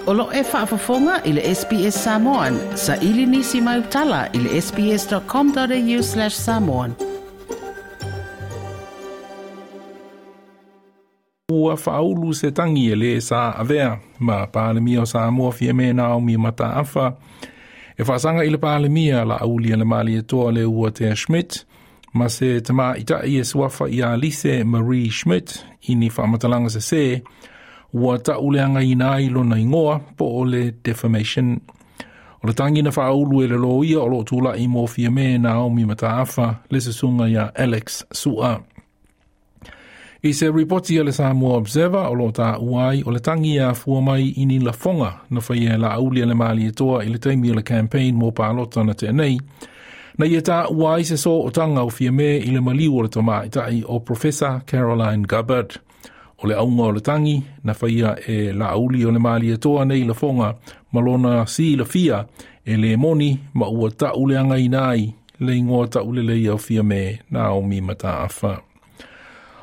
O lo e faafofoga i le SBS Samoan. Saili nisi mai utala i le sbs.com.au/samoan. Ua faaulu se tagi e lē sa avea ma Palemia o Samoa Fiame Naomi Mataafa e faasaga i le Palemia Laauli a le Malietoa le Uatea Schmidt ma se tamaita'i e suafa ia Lise Marie Schmidt i ni faamatalaga sesē ua ta'uleagaina ai lona igoa po o le defamation. O le tagi na faaulu e le loia o loo tula'i mo Fiame Naomi Mataafa le susuga iā Alex Su'a. I se ripoti a le Samoa Observer o loo tāua ai o le tagi e afua mai i ni lafoga na faia e Laauli a le Malietoa i le taimi o le campaign mo palota na tea nei, na ia tāua ai se sootaga o Fiame i le maliu o le tamaita'i o Professor Caroline Gubbard. O le auga o le tagi na faia e Laauli o le Malietoa nei lafoga ma lona silafia e lē moni ma ua ta'uleagaina ai le igoa ta'uleleia o Fiame Naomi Mataafa.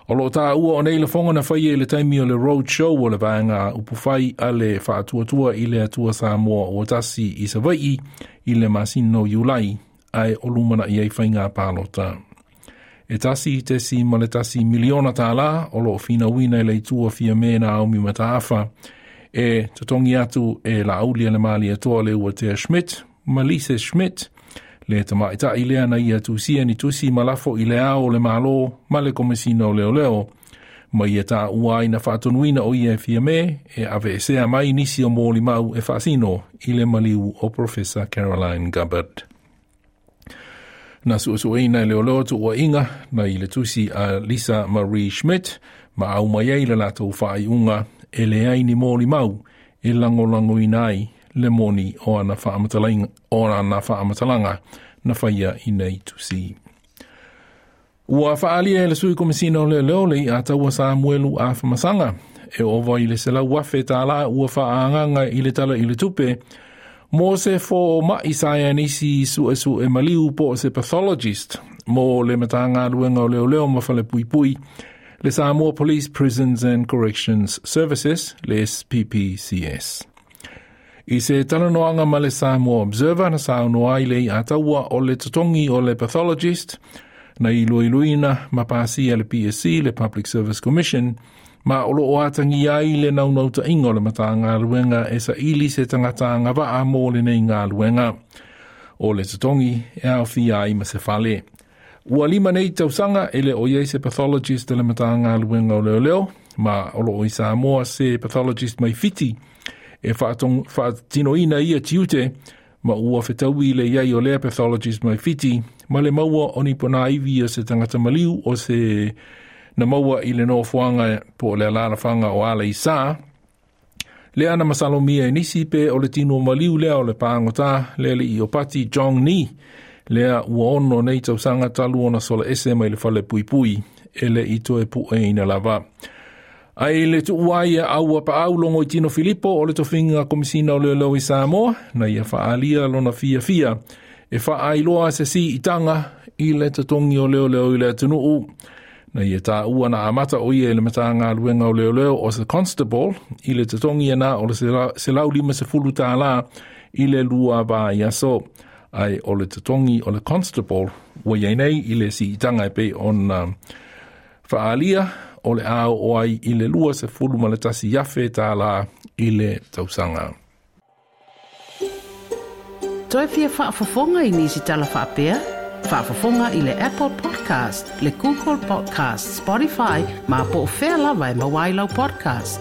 O loo tāua o nei lafoga na faia i le taimi o le road show o le vaega upufai a le Faatuatua i le Atua Samoa ua Tasi i Savai'i i le masina o Iulai ae o lumana'i ai faiga palota. E 1.1 miliona tālā o loo finauina i le itu o Fiame Naomi Mataafa e totogi atu e Laauli a le Malietoa le Uatea Schmidt ma Lise Schmidt le tamaita'i lea na ia tusia ni tusi ma lafo i le ao o le Malo ma le Komesina o Leoleo ma ia tāua ai na faatonuina o ia e Fiame e aveesea mai nisi o molimau e faasino i le maliu o Professor Caroline Gubbard. Na suesueina e leoleo tuuaiga na i le tusi a Lisa Marie Schmidt ma au mai ai le latou faaiuga e leai ni molimau e lagolagoina ai le moni o ana faamatalaga na faia i nei tusi. Ua faalia e le sui komesina o leoleo le iataua Samuelu Afamasaga e ova i le 100,000 tālā ua faaagaga i le tala i le tupe mo se foma'i saienisi su'esu'e maliu po o se pathologist mo le Matagaluega o Leoleo ma Falepuipui le Samoa Police Prisons and Corrections Services le SPPCS. I se talanoaga ma le Samoa Observer na saunoa ai le iataua o le totogi o le pathologist na iloiloina ma pasia le PSC le Public Service Commission ma o loo atagia ai le naunautaiga o le Matagaluega e saili se tagata agavaa mo lenei galuega. O le totogi e aofia ai ma se fale. Ua 5 nei tausaga e le o iai se pathologist le Matagaluega o Leoleo ma o loo i Samoa se pathologist mai Fiti e faatinoina ia tiute ma ua fetaui le iai o lea pathologist mai Fiti ma le maua o ni ponaivi o se tagata maliu o se na maua i le nofoaga po o le alalafaga o Aleisa. Lea na masalomia e nisi pe o le tino maliu lea o le pāgotā le alii o Pati Jong Ni lea ua 6 nei tausaga talu ona sola ese mai le fale puipui e le i toe pu'eina lava. Ai le tuua ai aua paau logo i Tino Filipo o le tofiga komisina o leoleo i Samoa na ia faalia lona fiafia e faailoa se siitaga i le totogi o leoleo i le atunuu. Na ia tāua na amata o ia i le Matagaluega o Leoleo o se constable i le totogi ana o le 150 tālā i le 2 vaiaso. Ai o le totogi o le constable ua iai nei i le siitaga e pei ona faalia o le ao o ai i le 21,000 tālā i le tausaga. Toe fia faafofoga i nisi tala faapea? Faafofoga i le Apple Podcast, le Google Podcast, Spotify, ma po o fea lava e maua ai lau podcast.